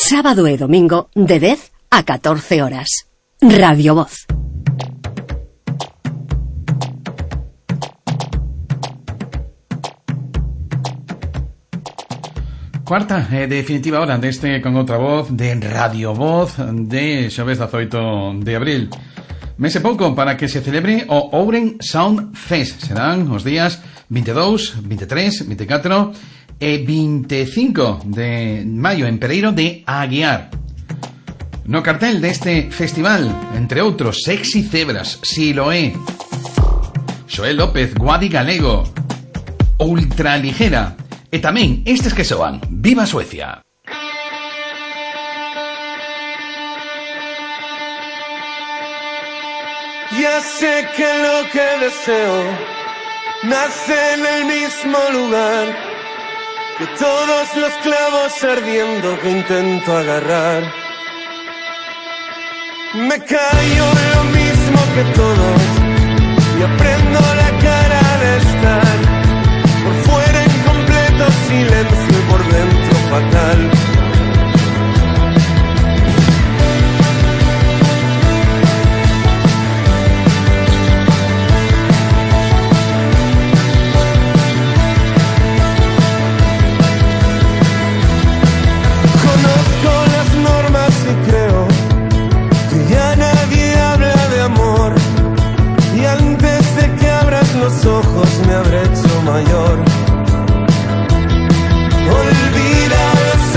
Sábado e domingo de 10 a 14 horas. Radio Voz. Cuarta e definitiva hora deste Con Outra Voz de Radio Voz de xoves 18 de abril. Mese pouco para que se celebre o Ouren Sound Fest. Serán os días 22, 23, 24 e 25 de maio en Pereiro de Aguiar. No cartel deste festival, entre outros, Sexy Cebras, Siloé, Xoel López, Guadi Galego, Ultraligera e tamén estes que soan Viva Suecia. Ya sé que lo que deseo nace en el mismo lugar, que todos los clavos ardiendo que intento agarrar. Me callo lo mismo que todos y aprendo la cara de estar por fuera en completo silencio y por dentro fatal. Conozco las normas y creo que ya nadie habla de amor, y antes de que abras los ojos me habré hecho mayor. Olvida los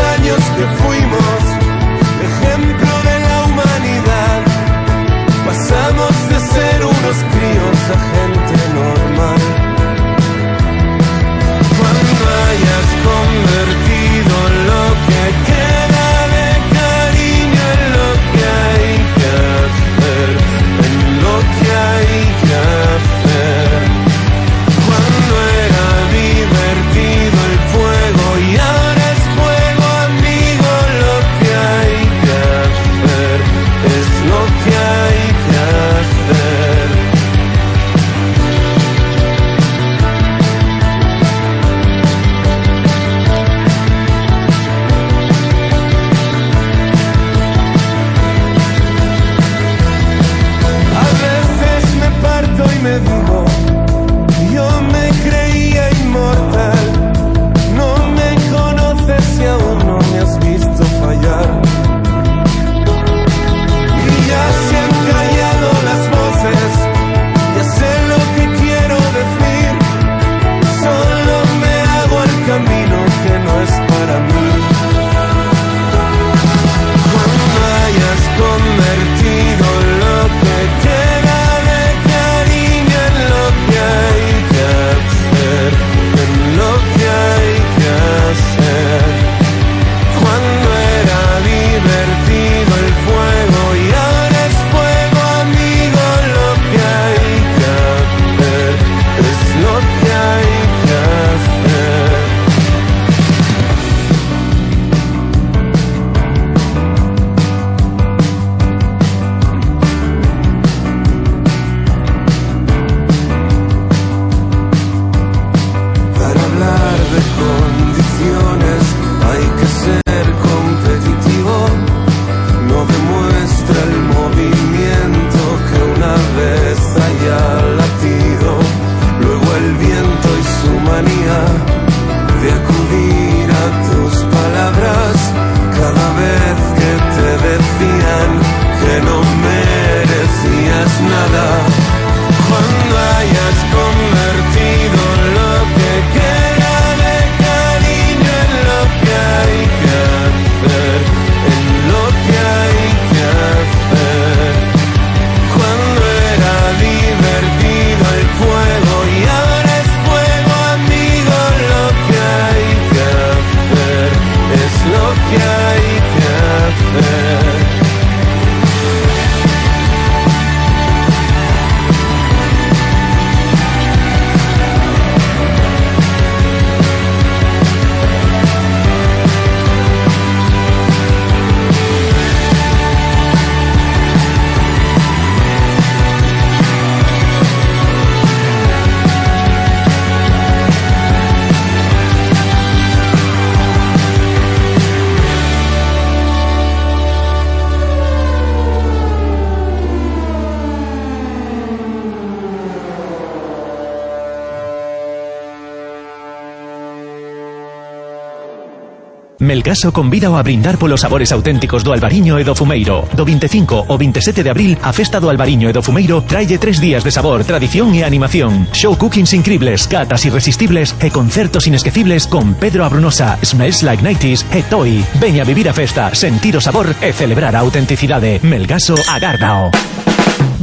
Melgaso convida a brindar polos sabores auténticos do Albariño e do Fumeiro. Do 25 ao 27 de abril, a festa do Albariño e do Fumeiro traille 3 días de sabor, tradición e animación. Show cookings incribles, catas irresistibles e concertos inesquecibles con Pedro Abrunosa, Smells Like 90s e Toy. Veña a vivir a festa, sentir o sabor e celebrar a autenticidade. Melgaso agárdao.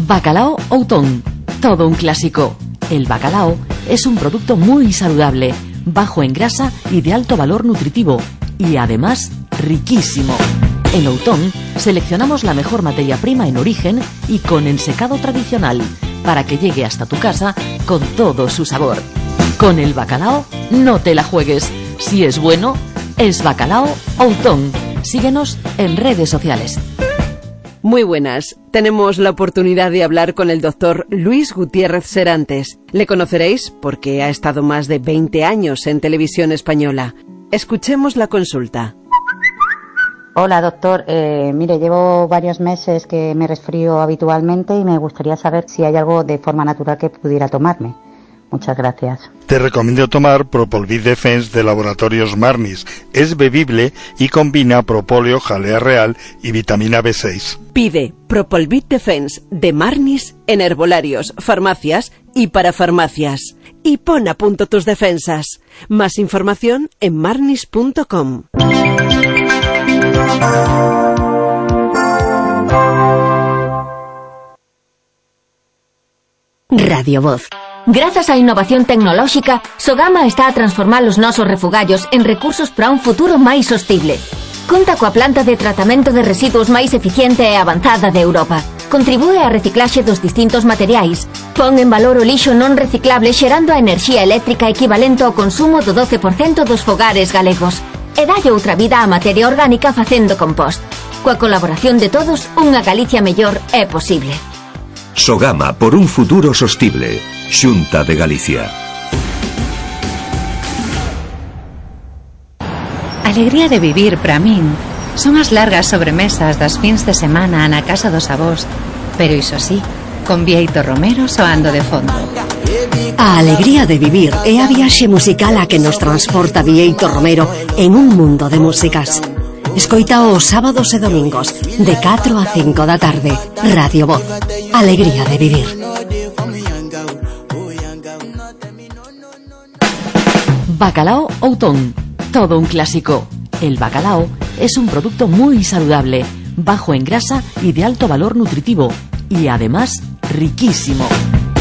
Bacalao Outón. Todo un clásico. El bacalao es un producto muy saludable, bajo en grasa y de alto valor nutritivo, y además riquísimo. En Outón seleccionamos la mejor materia prima en origen y con ensecado tradicional, para que llegue hasta tu casa con todo su sabor. Con el bacalao no te la juegues. Si es bueno, es Bacalao Outón. Síguenos en redes sociales. Muy buenas. Tenemos la oportunidad de hablar con el doctor Luis Gutiérrez Serantes. Le conoceréis porque ha estado más de 20 años en Televisión Española. Escuchemos la consulta. Hola, doctor. Mire, llevo varios meses que me resfrío habitualmente y me gustaría saber si hay algo de forma natural que pudiera tomarme. Muchas gracias. Te recomiendo tomar Propolvid Defense de Laboratorios Marnis. Es bebible y combina propóleo, jalea real y vitamina B6. Pide Propolvid Defense de Marnis en herbolarios, farmacias y para farmacias. Y pon a punto tus defensas. Más información en marnis.com. Radio Voz. Grazas á innovación tecnolóxica, Sogama está a transformar os nosos refugallos en recursos para un futuro máis sostible. Conta coa planta de tratamento de residuos máis eficiente e avanzada de Europa. Contribúe á reciclaxe dos distintos materiais. Pon en valor o lixo non reciclable xerando a enerxía eléctrica equivalente ao consumo do 12% dos fogares galegos. E dalle outra vida á materia orgánica facendo compost. Coa colaboración de todos, unha Galicia mellor é posible. Sogama por un futuro sostible. Xunta de Galicia. A alegría de vivir para min son as largas sobremesas das fins de semana na casa dos avós, pero iso sí, con Bieito Romero soando de fondo. A alegría de vivir é a viaxe musical a que nos transporta Bieito Romero en un mundo de músicas. Escoita os sábados e domingos de 4 a 5 da tarde. Radio Voz. Alegría de vivir. Bacalao Outón. Todo un clásico. El bacalao es un producto muy saludable, bajo en grasa y de alto valor nutritivo, y además riquísimo.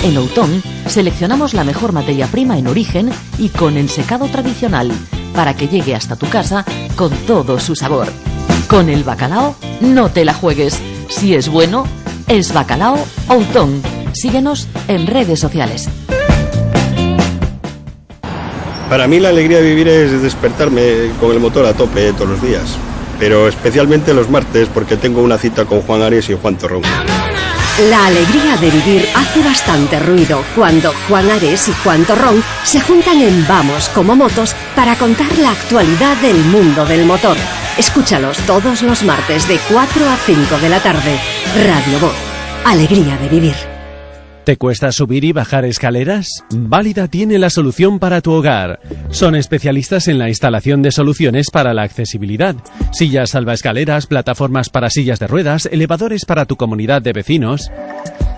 En Outón seleccionamos la mejor materia prima en origen y con ensecado tradicional, para que llegue hasta tu casa con todo su sabor. Con el bacalao no te la juegues. Si es bueno, es Bacalao Outón. Síguenos en redes sociales. Para mí la alegría de vivir es despertarme con el motor a tope todos los días, pero especialmente los martes porque tengo una cita con Juan Ares y Juan Torrón. La alegría de vivir hace bastante ruido cuando Juan Ares y Juan Torrón se juntan en Vamos como Motos para contar la actualidad del mundo del motor. Escúchalos todos los martes de 4 a 5 de la tarde. Radio Voz. Alegría de vivir. ¿Te cuesta subir y bajar escaleras? Válida tiene la solución para tu hogar. Son especialistas en la instalación de soluciones para la accesibilidad. Sillas salvaescaleras, plataformas para sillas de ruedas, elevadores para tu comunidad de vecinos.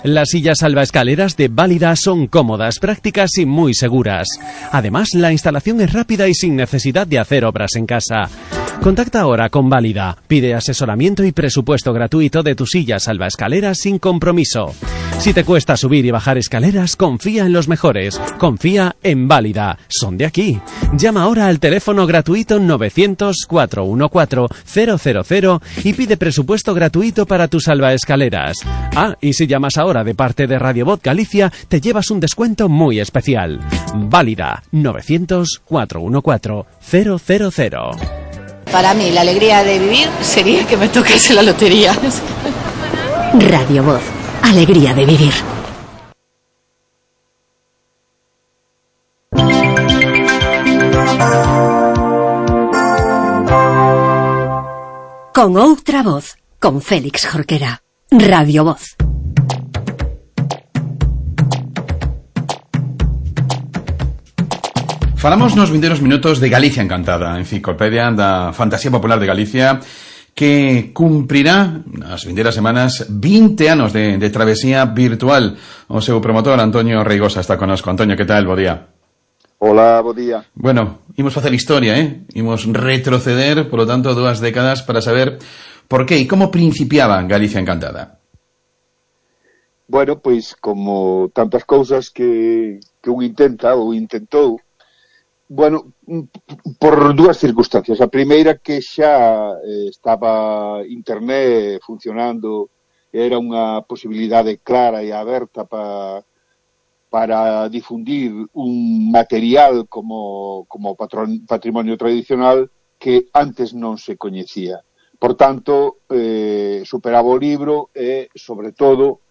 Las sillas salvaescaleras de Válida son cómodas, prácticas y muy seguras. Además, la instalación es rápida y sin necesidad de hacer obras en casa. Contacta ahora con Válida. Pide asesoramiento y presupuesto gratuito de tu silla salvaescaleras sin compromiso. Si te cuesta subir y bajar escaleras, confía en los mejores. Confía en Válida. Son de aquí. Llama ahora al teléfono gratuito 900-414-000 y pide presupuesto gratuito para tus salvaescaleras. Ah, y si llamas ahora de parte de Radio Voz Galicia, te llevas un descuento muy especial. Válida 900-414-000. Para mí, la alegría de vivir sería que me tocase la lotería. Radio Voz. Alegría de vivir. Con outra voz, con Félix Jorquera. Radio Voz. Falamos nos vindeiros minutos de Galicia Encantada, enciclopedia da fantasía popular de Galicia, que cumprirá nas vindeiras semanas 20 anos de travesía virtual. O seu promotor, Antonio Reigosa, está connosco. Antonio, que tal? Bo día. Hola, bo día. Bueno, imos facer historia, imos retroceder, polo tanto, 2 décadas para saber por que e como principiaba Galicia Encantada. Bueno, pois, como tantas cousas que un intenta ou intentou, bueno, por 2 circunstancias. A primeira, que xa estaba internet funcionando, era unha posibilidade clara e aberta para difundir un material como patrimonio tradicional que antes non se coñecía. Por tanto, superaba o libro e, sobre todo,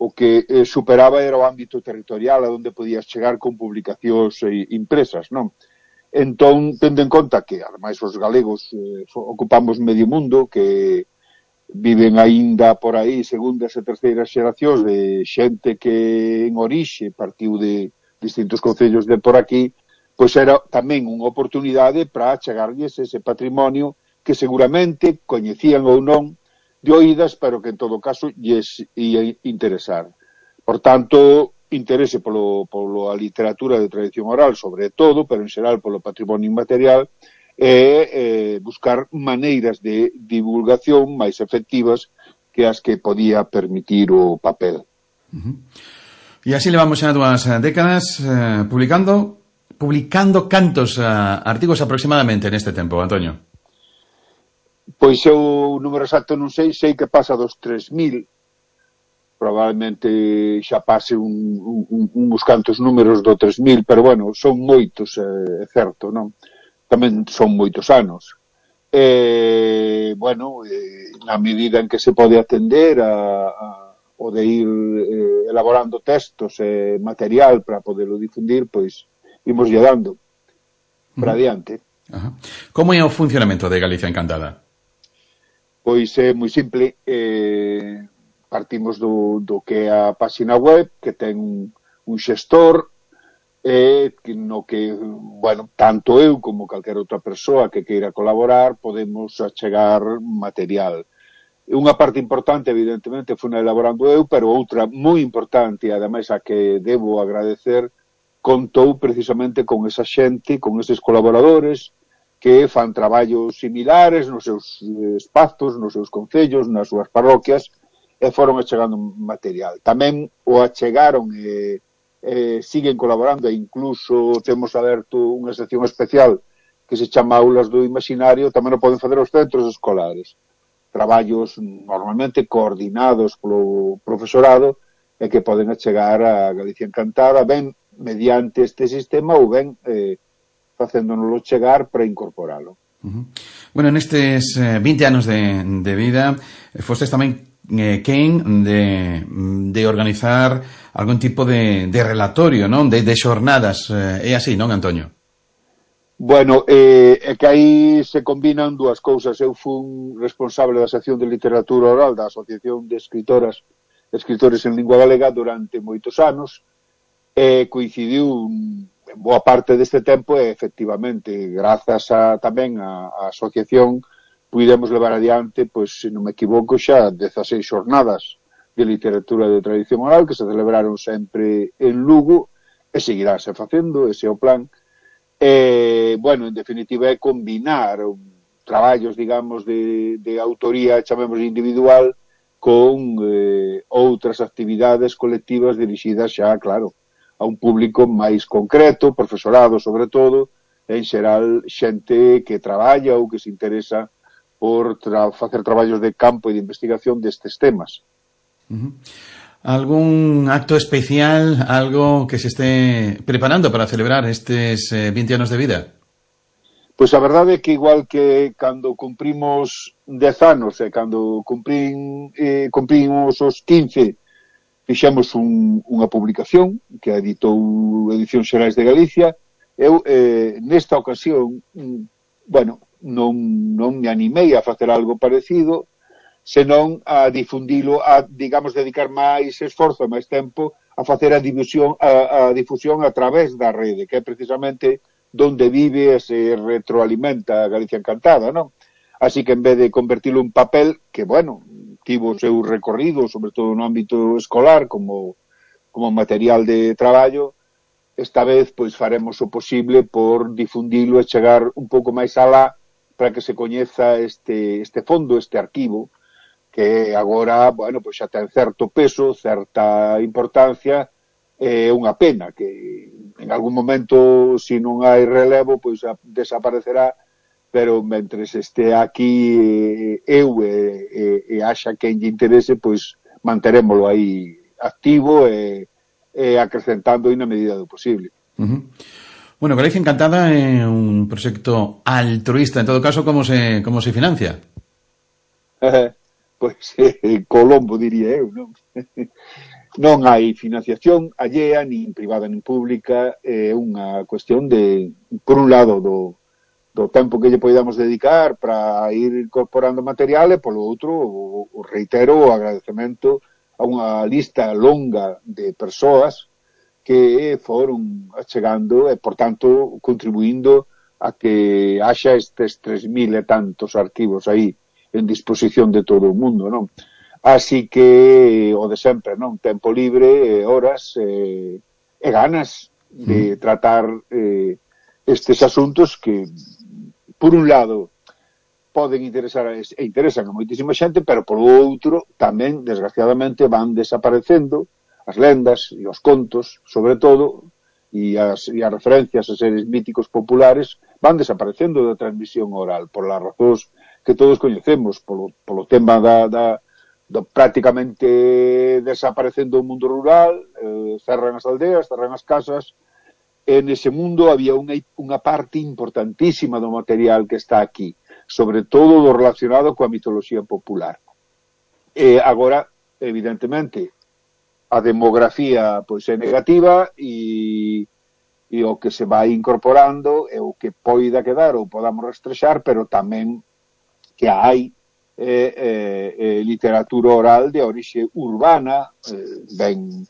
o que superaba era o ámbito territorial a onde podías chegar con publicacións impresas, non? Entón, tendo en conta que, ademais, os galegos ocupamos medio mundo, que viven aínda por aí segundas e terceiras xeracións de xente que en orixe partiu de distintos concellos de por aquí, pois era tamén unha oportunidade para chegarlles ese patrimonio que seguramente coñecían ou non de oídas, pero que en todo caso lles ia interesar. Por tanto, interese polo a literatura de tradición oral, sobre todo, pero en xeral polo patrimonio inmaterial, e buscar maneiras de divulgación máis efectivas que as que podía permitir o papel. E así levamos xa 2 décadas publicando cantos artigos aproximadamente neste tempo, Antonio? Pois eu, número exacto non sei que pasa dos 3.000, probablemente xa pase uns cantos números do 3.000, pero bueno, son moitos, é certo, non? Tamén son moitos anos. Bueno, na medida en que se pode atender o de ir elaborando textos e material para poderlo difundir, pois imos lle dando para adiante. Como é o funcionamento de Galicia Encantada? Pois é moi simple. Partimos do que é a página web, que ten un xestor, no que, bueno, tanto eu como calquera outra persoa que queira colaborar podemos achegar material. Unha parte importante, evidentemente, foi elaborando eu, pero outra moi importante, e ademais a que debo agradecer, contou precisamente con esa xente, con eses colaboradores que fan traballos similares nos seus espazos, nos seus concellos, nas súas parroquias, e foron achegando material. Tamén o achegaron e siguen colaborando, e incluso temos aberto unha sección especial que se chama Aulas do Imaginario, tamén o poden facer os centros escolares. Traballos normalmente coordinados polo profesorado e que poden achegar a Galicia Encantada, ben mediante este sistema ou ben facéndonoslo chegar para incorporalo. Bueno, nestes 20 anos de vida, fostes tamén quen de organizar algún tipo de relatorio, non? De xornadas. É así, non, Antonio? Bueno, é que aí se combinan 2 cousas. Eu fui responsable da sección de literatura oral da Asociación de Escritores en Lingua Galega durante moitos anos, e coincidiu en boa parte deste tempo e, efectivamente, grazas tamén á asociación, pudemos levar adiante, pois, se non me equivoco, xa 16 xornadas de literatura de tradición oral que se celebraron sempre en Lugo e seguirase facendo, ese é o plan. Bueno, en definitiva, é combinar traballos, digamos, de autoría, chamemos individual, con outras actividades colectivas dirixidas xa, claro, a un público máis concreto, profesorado sobre todo, en xeral xente que traballa ou que se interesa por facer traballos de campo e de investigación destes temas. Algún acto especial, algo que se esté preparando para celebrar estes 20 anos de vida? Pois a verdade é que igual que cando cumprimos 10 anos e cando cumprimos os 15, fixemos unha publicación que editou Edicións Xerais de Galicia. Eu, nesta ocasión, bueno, non me animei a facer algo parecido, senón a difundilo, a, digamos, dedicar máis esforzo e máis tempo a facer a difusión a través da rede, que é precisamente donde vive e se retroalimenta a Galicia Encantada, non? Así que en vez de convertilo en papel, que, bueno, tivo o seu recorrido, sobre todo no ámbito escolar, como material de traballo, esta vez, pois, faremos o posible por difundilo e chegar un pouco máis alá para que se coñeza este fondo, este arquivo, que agora, bueno, pois xa ten certo peso, certa importancia, é unha pena que en algún momento, se non hai relevo, pois desaparecerá, pero mentres este aquí eu e haxa quen lle interese, pois manterémolo aí activo e acrecentando na medida do posible. Bueno, Galicia Encantada é un proxecto altruista. En todo caso, como se financia? Pois Colombo, diría eu, non? Non hai financiación allea, nin privada nin pública, é unha cuestión de, por un lado, do tempo que lle podamos dedicar para ir incorporando material e, polo outro, o reitero o agradecemento a unha lista longa de persoas que foron chegando e, por tanto, contribuindo a que haxa estes 3.000 e tantos arquivos aí en disposición de todo o mundo, non? Así que o de sempre, non? Tempo libre, horas e ganas de tratar estes asuntos que, por un lado, poden interesar e interesan a moitísima xente, pero por outro, tamén, desgraciadamente, van desaparecendo as lendas e os contos, sobre todo, e as referencias a seres míticos populares van desaparecendo da transmisión oral, por las razóns que todos coñecemos, polo tema do prácticamente desaparecendo o mundo rural, cerran as aldeas, cerran as casas. En ese mundo había unha parte importantísima do material que está aquí, sobre todo do relacionado coa mitoloxía popular. E agora, evidentemente, a demografía pois é negativa e o que se vai incorporando é o que poida quedar ou podamos rastrexar, pero tamén que hai literatura oral de orixe urbana, ben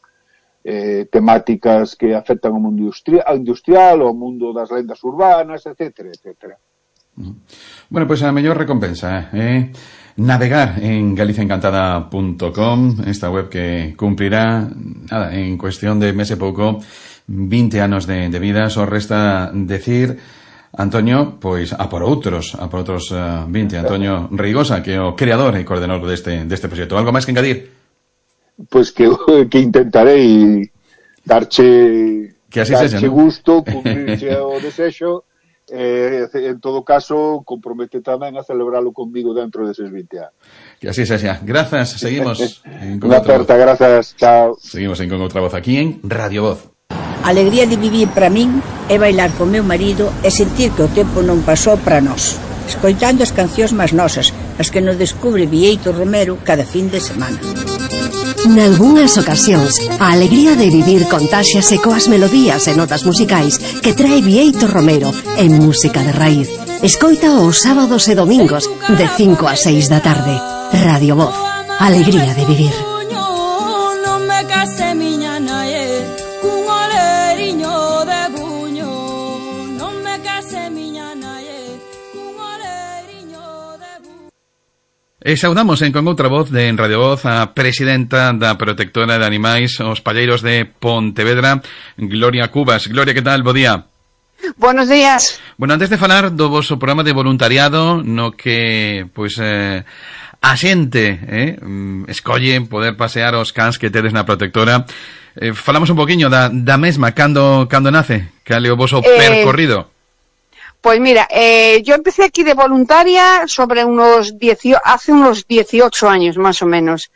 temáticas que afectan o mundo industrial, o mundo das lendas urbanas, etcétera, etcétera. Bueno, pois a mellor recompensa navegar en galiciaencantada.com, esta web que cumprirá en cuestión de mes e pouco 20 anos de vida. Só resta decir, Antonio, pois a por outros 20. Antonio Reigosa, que é o creador e coordenador deste proxecto. Algo máis que engadir? Pois que intentarei darche gusto, cumprirche o desexo, en todo caso, compromete tamén a celebralo conmigo dentro deses 20 anos. Que así sexa. Grazas, seguimos. Unha aperta, grazas, chao. Seguimos en Con Outra Voz aquí en Radio Voz. A alegría de vivir para min é bailar con meu marido e sentir que o tempo non pasou para nós, escoitando as cancións máis nosas, as que nos descubre Bieito Romero cada fin de semana. Nalgúnas ocasións, a alegría de vivir contáxiase coas melodías e notas musicais que trae Bieito Romero en música de raíz. Escoita os sábados e domingos de 5 a 6 da tarde. Radio Voz, alegría de vivir. E saudamos con outra voz de en Radio Voz a presidenta da Protectora de Animais os Palleiros de Pontevedra, Gloria Cubas. Gloria, que tal? Bo día. Buenos días. Bueno, antes de falar do vosso programa de voluntariado no que, pois, a xente escolle poder pasear os cans que tedes na Protectora, falamos un poquinho da mesma, cando nace, cal é o voso percorrido. Pues mira, yo empecé aquí de voluntaria sobre hace unos 18 años más o menos.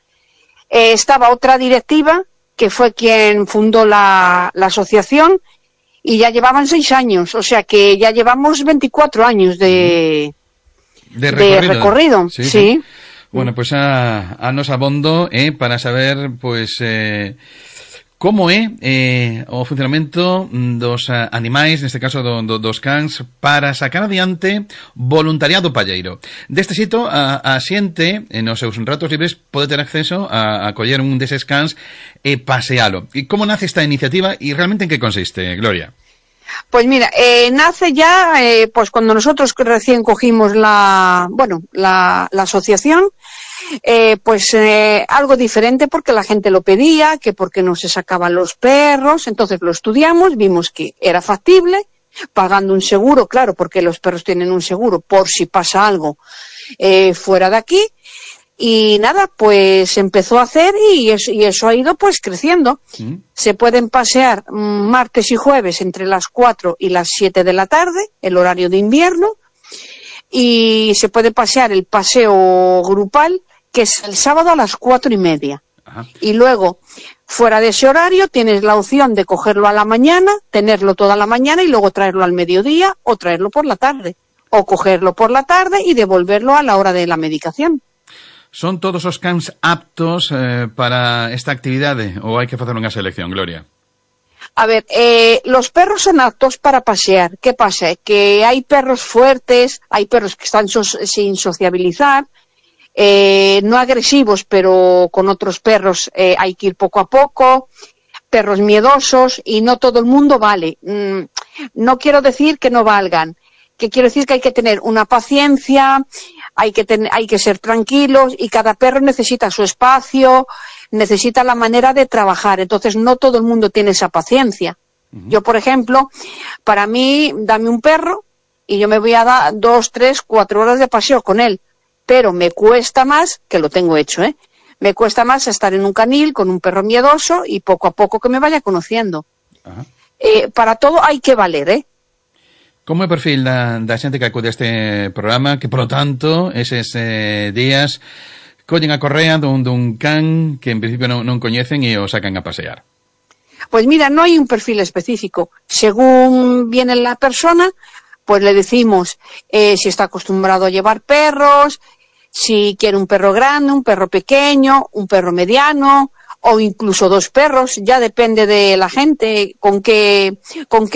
Estaba otra directiva que fue quien fundó la asociación y ya llevaban 6 años, o sea que ya llevamos 24 años de recorrido. Sí. Bueno, pues a nos abondo para saber pues como é o funcionamento dos animais, neste caso dos cans, para sacar adiante voluntariado palleiro. Deste xeito, a xente, nos seus ratos libres, pode ter acceso a coller un deses cans e pasealo. E como nace esta iniciativa e realmente en que consiste, Gloria? Pues mira, nace ya, pues cuando nosotros recién cogimos la asociación, algo diferente porque la gente lo pedía, que porque no se sacaban los perros, entonces lo estudiamos, vimos que era factible, pagando un seguro, claro, porque los perros tienen un seguro por si pasa algo fuera de aquí. Y nada, pues empezó a hacer y eso ha ido pues creciendo. Se pueden pasear martes y jueves entre las 4 y las 7 de la tarde, el horario de invierno, y se puede pasear el paseo grupal, que es el sábado a las 4:30. Ajá. Y luego, fuera de ese horario, tienes la opción de cogerlo a la mañana, tenerlo toda la mañana y luego traerlo al mediodía o traerlo por la tarde. O cogerlo por la tarde y devolverlo a la hora de la medicación. Son todos os cans aptos para esta actividade ou hai que facer unha selección, Gloria? A ver, los perros son aptos para pasear. ¿Qué pasa? Que hay perros fuertes, hay perros que están sin sociabilizar, no agresivos, pero con otros perros hay que ir poco a poco, perros miedosos, y no todo el mundo vale. No quiero decir que no valgan, que quiero decir que hay que tener una paciencia, hay que ser tranquilos, y cada perro necesita su espacio, necesita la manera de trabajar, entonces no todo el mundo tiene esa paciencia. Yo, por ejemplo, para mí, dame un perro y yo me voy a dar 2, 3, 4 horas de paseo con él, pero me cuesta más, que lo tengo hecho, me cuesta más estar en un canil con un perro miedoso y poco a poco que me vaya conociendo. Para todo hay que valer, Como é o perfil da xente que acude a este programa, que, polo tanto, eses días collen a correa dun can que en principio non coñecen e o sacan a pasear? Pues mira, no hay un perfil específico. Según viene la persona, pues le decimos si está acostumbrado a llevar perros, si quiere un perro grande, un perro pequeño, un perro mediano, o incluso 2 perros, ya depende de la gente con qué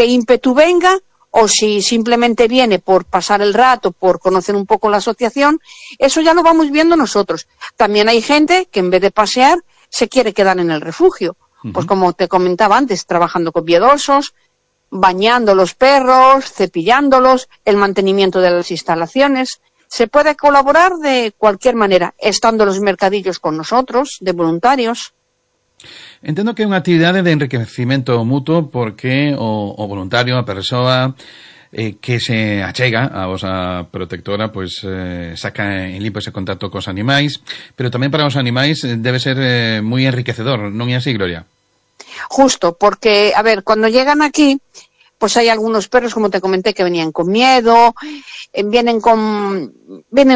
ímpetu venga, o si simplemente viene por pasar el rato, por conocer un poco la asociación. Eso ya lo vamos viendo nosotros. También hay gente que en vez de pasear se quiere quedar en el refugio. Pues como te comentaba antes, trabajando con miedosos, bañando los perros, cepillándolos, el mantenimiento de las instalaciones. Se puede colaborar de cualquier manera, estando los mercadillos con nosotros, de voluntarios. Entendo que é unha actividade de enriquecimento mutuo porque o voluntario, a persoa que se achega a vosa protectora, pois saca en limpo ese contacto cos animais, pero tamén para os animais debe ser moi enriquecedor, non é así, Gloria? Justo, porque, a ver, cuando llegan aquí, pues hay algunos perros, como te comenté, que venían con miedo, vienen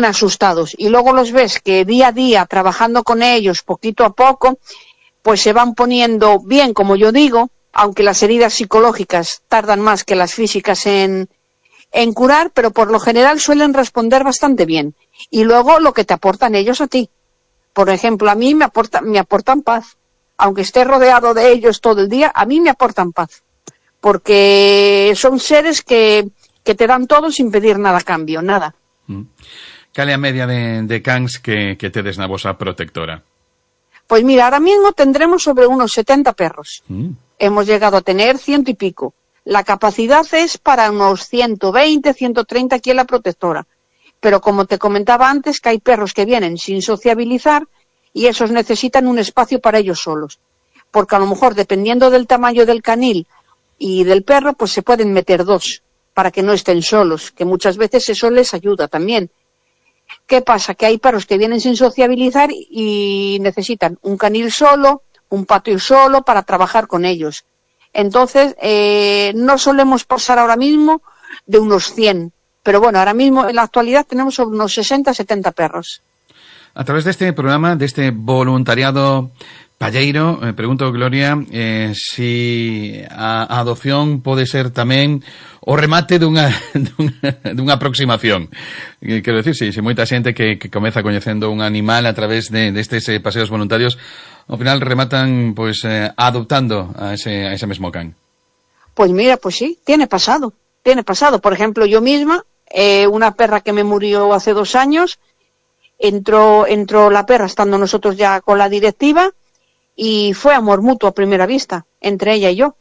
asustados, y luego los ves que día a día, trabajando con ellos, poquito a poco, pues se van poniendo bien, como yo digo, aunque las heridas psicológicas tardan más que las físicas en curar, pero por lo general suelen responder bastante bien. Y luego lo que te aportan ellos a ti. Por ejemplo, a mí me aportan paz. Aunque esté rodeado de ellos todo el día, a mí me aportan paz. Porque son seres que te dan todo sin pedir nada a cambio, nada. Cal é a media de cans que tedes na vosa protectora? Pues mira, ahora mismo tendremos sobre unos 70 perros. Hemos llegado a tener 100 y pico. La capacidad es para unos 120, 130 aquí en la protectora. Pero como te comentaba antes, que hay perros que vienen sin sociabilizar y esos necesitan un espacio para ellos solos. Porque a lo mejor, dependiendo del tamaño del canil y del perro, pues se pueden meter 2 para que no estén solos, que muchas veces eso les ayuda también. ¿Qué pasa? Que hay perros que vienen sin sociabilizar y necesitan un canil solo, un patio solo para trabajar con ellos. Entonces, no solemos pasar ahora mismo de unos 100. Pero bueno, ahora mismo en la actualidad tenemos unos 60, 70 perros. A través deste programa, deste voluntariado palleiro, pregunto, Gloria, si a adopción pode ser tamén o remate dunha aproximación. Quero decir, si moita xente que comeza coñecendo un animal a través destes paseos voluntarios, ao final rematan pois adoptando a ese mesmo can. Pues mira, pues sí, tiene pasado. Por ejemplo, yo misma, una perra que me murió hace 2 años, entró la perra estando nosotros ya con la directiva, y fue amor mutuo a primera vista, entre ella y yo.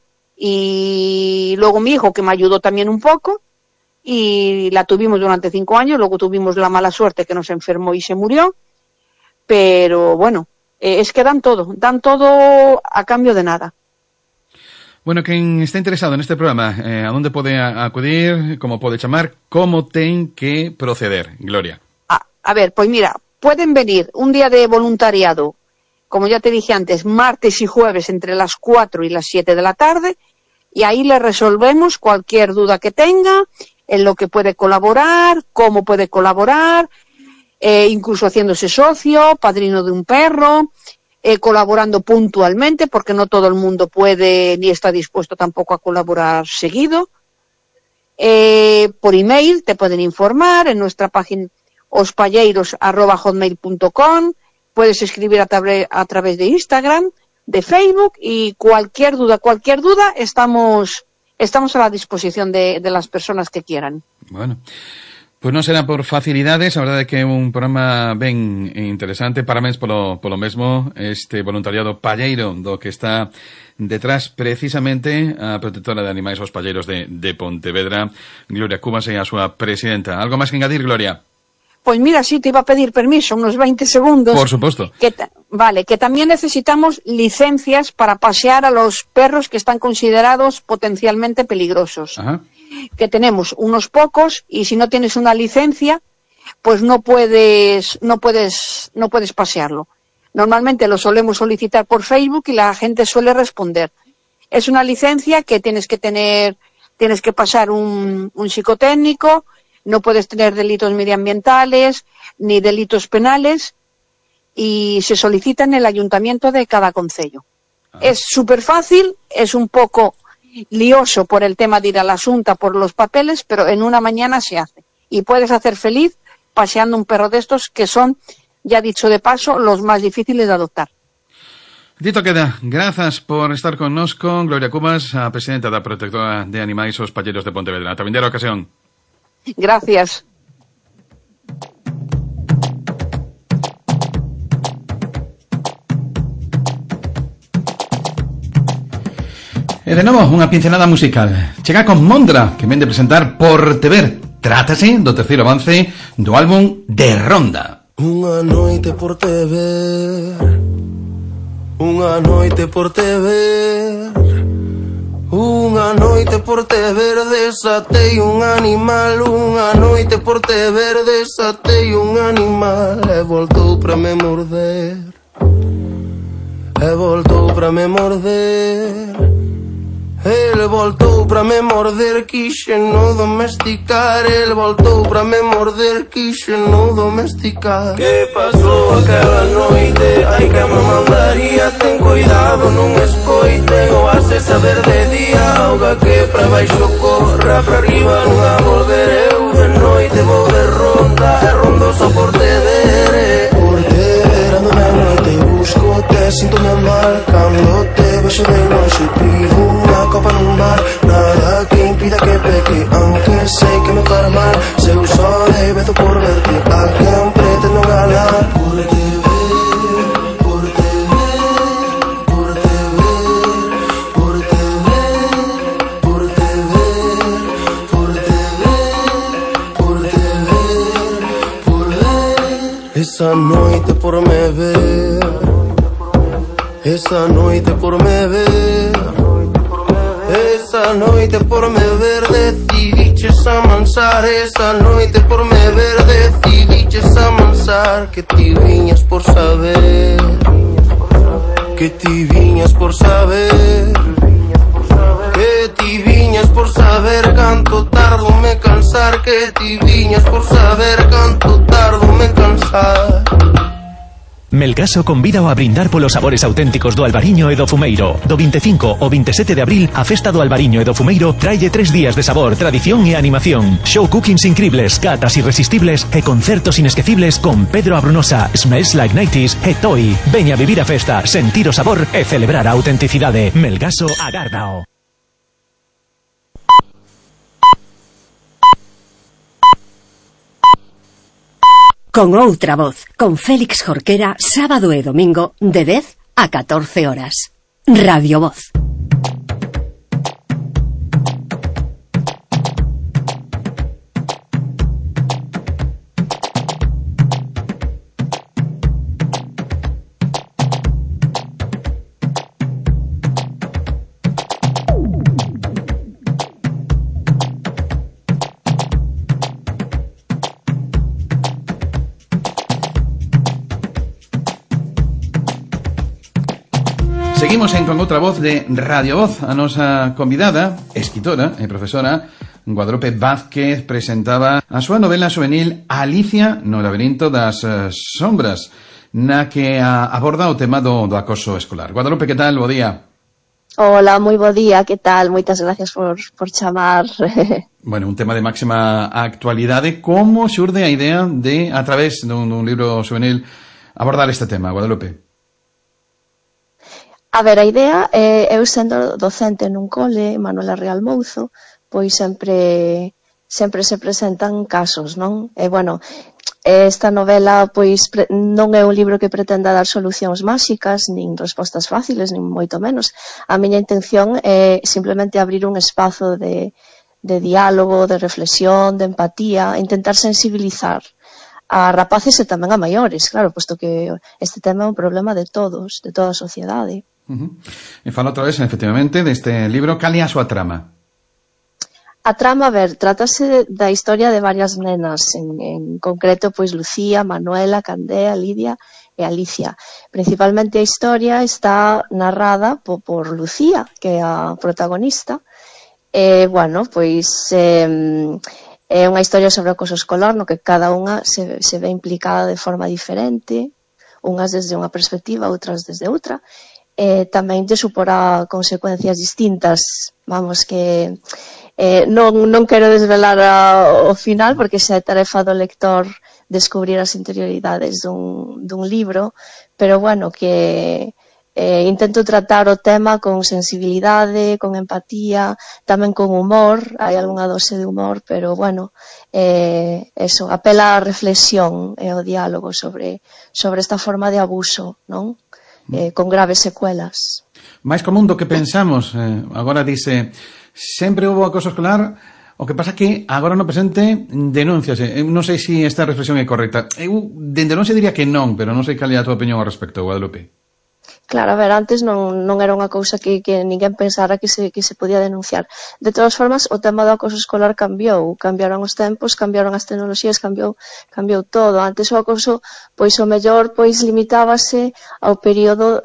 Y luego mi hijo, que me ayudó también un poco, y la tuvimos durante 5 años, luego tuvimos la mala suerte que nos enfermó y se murió, pero bueno, es que dan todo a cambio de nada. Bueno, quien está interesado en este programa, ¿a dónde puede acudir? ¿Cómo puede llamar? ¿Cómo tienen que proceder, Gloria? A ver, pues mira, pueden venir un día de voluntariado, como ya te dije antes, martes y jueves entre las 4 y las 7 de la tarde, y ahí le resolvemos cualquier duda que tenga, en lo que puede colaborar, cómo puede colaborar, incluso haciéndose socio, padrino de un perro, colaborando puntualmente, porque no todo el mundo puede ni está dispuesto tampoco a colaborar seguido. Por email te pueden informar en nuestra página ospalleiros@hotmail.com, puedes escribir a través de Instagram, de Facebook, y cualquier duda, estamos a la disposición de las personas que quieran. Bueno, pues non será por facilidades, a verdade é que é un programa ben interesante. Parabéns polo mesmo, este voluntariado palleiro do que está detrás precisamente a protectora de animais aos palleiros de Pontevedra, Gloria Cubas, e a súa presidenta. Algo máis que engadir, Gloria? Pues mira, sí, te iba a pedir permiso, unos 20 segundos. Por supuesto. Vale, que también necesitamos licencias para pasear a los perros que están considerados potencialmente peligrosos. Ajá. Que tenemos unos pocos, y si no tienes una licencia, pues no puedes pasearlo. Normalmente lo solemos solicitar por Facebook y la gente suele responder. Es una licencia que tienes que pasar un psicotécnico, no puedes tener delitos medioambientales ni delitos penales, y se solicita en el ayuntamiento de cada concello. Es súper fácil, es un poco lioso por el tema de ir a la Xunta por los papeles, pero en una mañana se hace. Y puedes hacer feliz paseando un perro de estos que son, ya dicho de paso, los más difíciles de adoptar. Dito queda, grazas por estar connosco, Gloria Cubas, a presidenta da Protectora de Animais aos Palleiros de Pontevedra. Ata vindeira ocasión. Gracias. E de novo, unha pincelada musical. Chega con Mondra, que vende presentar Portever. Trátase do terceiro avance do álbum de Ronda. Unha noite por te ver, unha noite por te ver, unha noite por te ver, desatei un animal. Unha noite por te ver, desatei un animal. E voltou pra me morder, e voltou pra me morder. Ele voltou pra me morder, quixe no domesticar. Ele voltou pra me morder, quixe no domesticar. Que pasou aquela noite? Ai que me mandaría. Ten cuidado, non escoite, ou hace saber de día. Auga que pra baixo corra, pra arriba non a volver. Eu de noite vou de ronda, e rondo só por te ver. Por te ver ando na noite e busco te, sinto-me mal cando te vexo de longe. Pido unha copa nun bar, nada que impida que peque, aunque sei que me fará mal. Se eu só rebezo por verte, a quen pretendo ganar. Por te ver, por te ver, por te ver, por te ver, por te ver, por te ver, por te ver, por ver. Esa noite por me ver, esa noite por me ver, esa noite por me ver, decidiches amansar. Esa noite por me ver, decidiches amansar. Que ti viñas por saber, que ti viñas por saber, que ti viñas por saber canto tardo me cansar. Que ti viñas por saber canto tardo me cansar. Melgaso convídao a brindar polos sabores auténticos do Albariño e do Fumeiro. Do 25 ao 27 de abril, a festa do Albariño e do Fumeiro traille 3 días de sabor, tradición e animación. Show cookings incribles, catas irresistibles e concertos inesquecibles con Pedro Abrunosa, Smells Like 90s e Toy. Veña a vivir a festa, sentir o sabor e celebrar a autenticidade. Melgaso agárdao. Con outra voz, con Félix Jorquera, sábado e domingo, de 10 a 14 horas. Radio Voz. Seguimos con outra voz de Radio Voz. A nosa convidada, escritora e profesora Guadalupe Vázquez presentaba a súa novela juvenil Alicia no laberinto das sombras, na que aborda o tema do acoso escolar. Guadalupe, que tal? Bo día. Hola, moi bo día, que tal? Moitas gracias por chamar. Bueno, un tema de máxima actualidade. Como xurde a idea de, a través dun libro juvenil, abordar este tema, Guadalupe? A ver, a idea, eu sendo docente nun cole, Manuela Real Mouzo, pois sempre se presentan casos, non? E, bueno, esta novela, pois, non é un libro que pretenda dar solucións máxicas, nin respostas fáciles, nin moito menos. A miña intención é simplemente abrir un espazo de diálogo, de reflexión, de empatía, intentar sensibilizar a rapaces e tamén a maiores, claro, posto que este tema é un problema de todos, de toda a sociedade. E fala outra vez, efectivamente, deste libro. Cal é a súa trama? A trama, a ver, trátase da historia de varias nenas, en concreto, pois, Lucía, Manuela, Candea, Lidia e Alicia. Principalmente a historia está narrada por Lucía, que é a protagonista. E, bueno, pois, é unha historia sobre o acoso escolar, no que cada unha se ve implicada de forma diferente, unhas desde unha perspectiva, outras desde outra. Tamén lle suporá consecuencias distintas, vamos, que non quero desvelar o final porque xa é tarefa do lector descubrir as interioridades dun libro, pero bueno, que intento tratar o tema con sensibilidade, con empatía, tamén con humor, hai algunha dose de humor, pero bueno, eso, apela á reflexión e ao diálogo sobre esta forma de abuso, non? Con graves secuelas. Máis común do que pensamos. Agora dice, sempre houve acoso escolar, o que pasa que agora no presente denúnciase. Non sei se esta reflexión é correcta. Eu dende non se diría que non, pero non sei cal é a tua opinión ao respecto, Guadalupe. Claro, a ver, antes non era unha cousa que ninguén pensara que se podía denunciar. De todas formas, o tema do acoso escolar cambiaron os tempos, cambiaron as tecnoloxías, cambiou todo. Antes o acoso, pois o mellor, pois limitábase ao período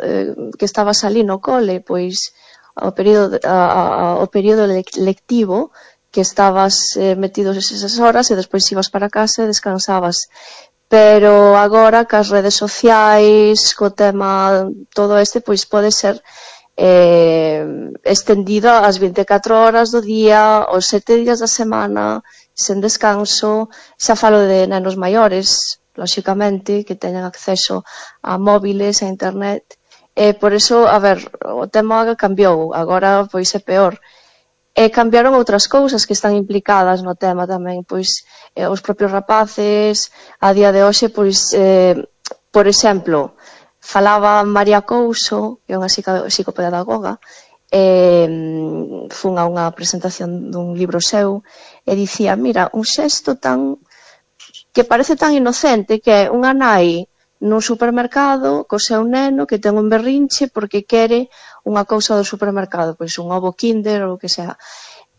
que estabas ali no cole, pois ao período lectivo, que estabas metidos esas horas e despois ibas para casa e descansabas. Pero agora, cas redes sociais, co tema todo este, pois pode ser estendido ás 24 horas do día, os 7 días da semana, sen descanso. Xa falo de nenos maiores, lóxicamente, que teñen acceso a móviles, a internet. Por eso, a ver, o tema cambiou, agora pois é peor. Cambiaron outras cousas que están implicadas no tema tamén, pois os propios rapaces, a día de hoxe, pois, por exemplo, falaba María Couso, que é unha psicopedagoga, fun a unha presentación dun libro seu, e dicía, mira, un xesto que parece tan inocente, que é unha nai nun supermercado co seu neno que ten un berrinche porque quere unha cousa do supermercado, pois un ovo Kinder ou o que sea.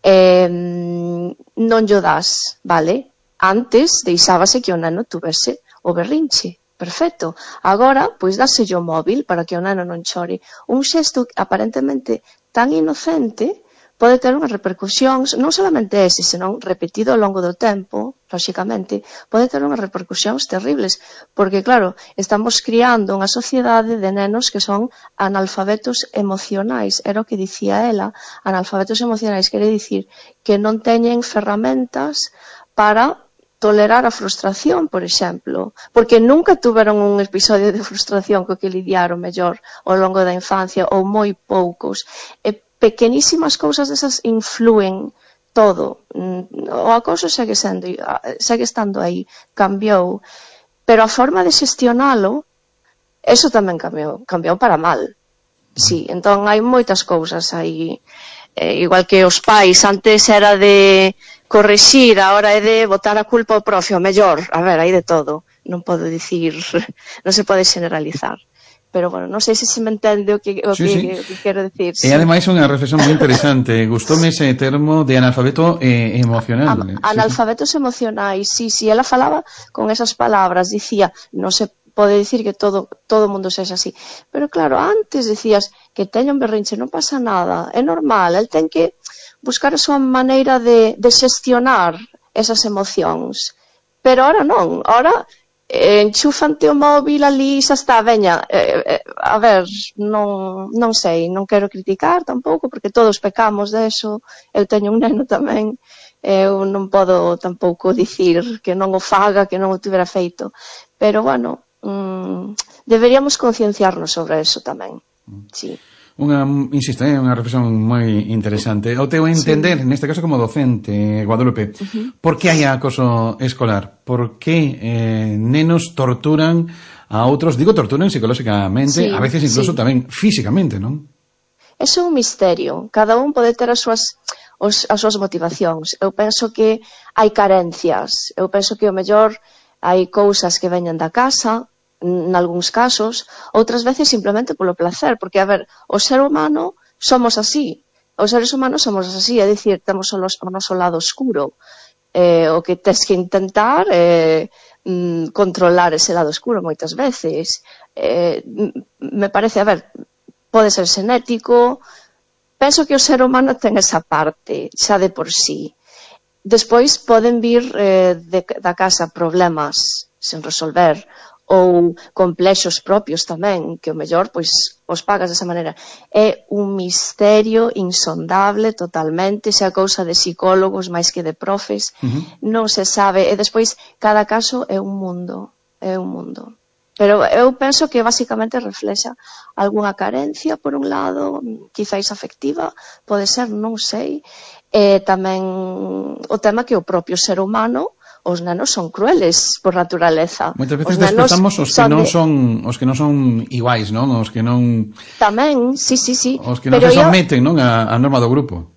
Non llo das, vale? Antes deixábase que o neno tuvese o berrinche, perfecto. Agora, pois dáselle o móvil para que o neno non chore. Un xesto aparentemente tan inocente pode ter unhas repercusións, non solamente ese, senón repetido ao longo do tempo, lóxicamente, pode ter unhas repercusións terribles, porque, claro, estamos criando unha sociedade de nenos que son analfabetos emocionais, era o que dicía ela, analfabetos emocionais, quere dicir que non teñen ferramentas para tolerar a frustración, por exemplo, porque nunca tuveron un episodio de frustración co que lidiaron mellor ao longo da infancia, ou moi poucos, pequenísimas cousas desas influen todo. O acoso segue estando aí, cambiou, pero a forma de xestionalo, eso tamén cambiou para mal. Sí, entón hai moitas cousas aí, igual que os pais, antes era de corrixir, agora é de botar a culpa ao profe, o mellor, a ver, hai de todo, non podo dicir, non se pode generalizar. Pero, bueno, non sei se me entende o que quero dicir. E, ademais, unha reflexión moi interesante. Gustoume ese termo de analfabeto emocional. Analfabetos emocionais, sí. Ela falaba con esas palabras. Dicía, non se pode dicir que todo o mundo sexa así. Pero claro, antes decías que teña un berrinche, non pasa nada, é normal, el ten que buscar a súa maneira de xestionar esas emocións. Pero ahora non, ahora enchúfante o móvil ali, xa está, veña, a ver, non sei, non quero criticar tampouco, porque todos pecamos deso, eu teño un neno tamén, eu non podo tampouco dicir que non o faga, que non o tivera feito, pero bueno, deberíamos concienciarnos sobre eso tamén, sí. Insisto, unha reflexión moi interesante. O teu entender, neste caso como docente, Guadalupe, por que hai acoso escolar? Por que nenos torturan a outros? Digo, torturan psicolóxicamente, a veces incluso tamén físicamente, non? É un misterio. Cada un pode ter as súas motivacións. Eu penso que hai carencias. Eu penso que o mellor hai cousas que veñen da casa, nalgúns casos, outras veces simplemente polo placer, porque, a ver, o ser humano somos así, os seres humanos somos así, é dicir, temos o noso lado oscuro, o que tes que intentar controlar ese lado oscuro moitas veces. Me parece, a ver, pode ser xenético, penso que o ser humano ten esa parte, xa de por sí. Despois poden vir da casa problemas sen resolver, ou complexos propios tamén, que o mellor pois os pagas desa maneira. É un misterio insondable totalmente, xa cousa de psicólogos máis que de profes, non se sabe, e despois cada caso é un mundo, Pero eu penso que basicamente reflexa algunha carencia, por un lado, quizáis afectiva, pode ser, non sei, e tamén o tema que o propio ser humano, os nenos son crueles por naturaleza. Moitas veces desprezamos os que non son iguais, non? Os que non... Tamén, sí. Os que non se someten, non? A norma do grupo.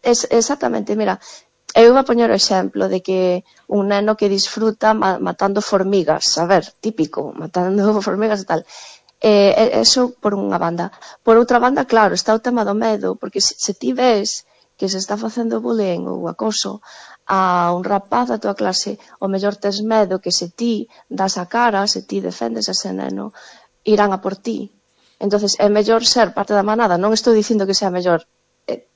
Exactamente, mira, eu vou poñer o exemplo de que un neno que disfruta matando formigas, a ver, típico, matando formigas e tal. Eso por unha banda. Por outra banda, claro, está o tema do medo, porque se ti ves que se está facendo bullying ou acoso a un rapaz da tua clase, o mellor tes medo que se ti das a cara, se ti defendes a ese neno, irán a por ti. Entonces é mellor ser parte da manada. Non estou dicindo que sea mellor.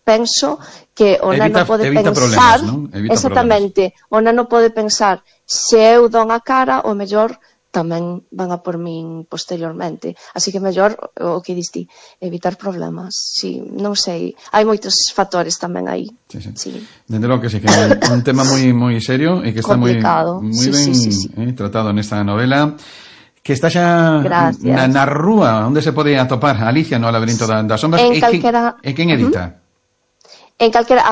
Penso que o neno pode pensar, exactamente, o neno pode pensar, se eu don a cara, o mellor tamén van a por min posteriormente. Así que mellor, o que diste, evitar problemas. Sí, non sei, hai moitos factores tamén aí. Sí. Dende logo que sí, que é un tema moi serio e que está moi ben tratado nesta novela, que está xa na rúa, onde se pode atopar Alicia no laberinto das sombras. E quen edita? En calquera,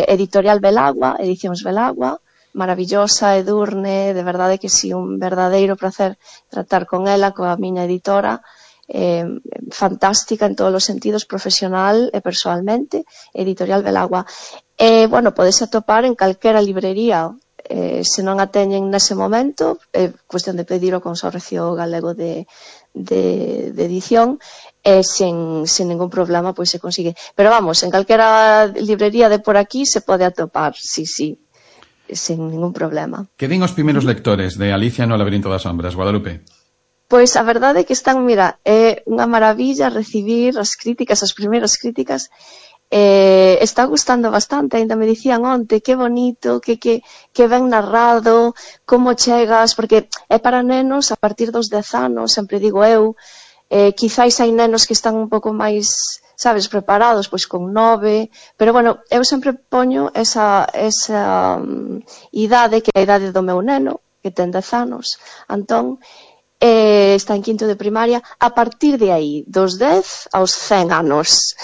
Editorial Belagua, Edicións Belagua, maravillosa, Edurne, de verdade que sí, un verdadeiro placer tratar con ela, coa miña editora, fantástica en todos os sentidos, profesional e persoalmente, Editorial Belagua. Bueno, podes atopar en calquera librería, se non a teñen nese momento, é cuestión de pedir o Consorcio Galego de Edición, sen ningún problema, pois se consigue. Pero vamos, en calquera librería de por aquí se pode atopar, sí, sen ningún problema. Que din os primeiros lectores de Alicia no laberinto das sombras, Guadalupe? Pois a verdade é que están, mira, é unha maravilla recibir as críticas, as primeiras críticas. Está gustando bastante, ainda me dicían onte, que bonito, que ben narrado, como chegas, porque é para nenos a partir dos 10 anos, sempre digo eu, quizáis hai nenos que están un pouco máis, sabes, preparados, pois con 9, pero bueno, eu sempre poño esa idade, que é a idade do meu neno, que ten 10 anos, Antón, está en quinto de primaria, a partir de aí, dos 10 aos 100 anos,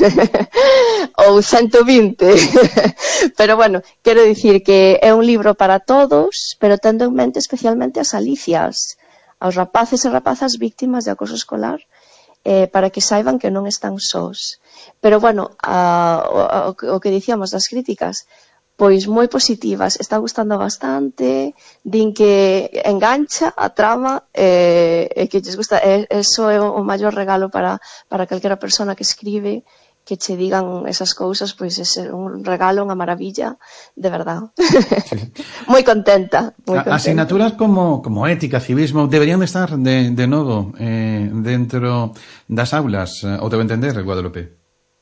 ou 120, pero bueno, quero dicir que é un libro para todos, pero tendo en mente especialmente as Alicias, aos rapaces e rapazas víctimas de acoso escolar, para que saiban que non están sós. Pero bueno, o que dicíamos das críticas, pois moi positivas, está gustando bastante, din que engancha a trama e que lles gusta, eso é o maior regalo para calquera persona que escribe, que che digan esas cousas, pois é ser un regalo, unha maravilla, de verdad. Moi contenta, moi contenta. Asignaturas como ética, civismo, deberían estar de novo dentro das aulas, ou debo entender, Guadalupe?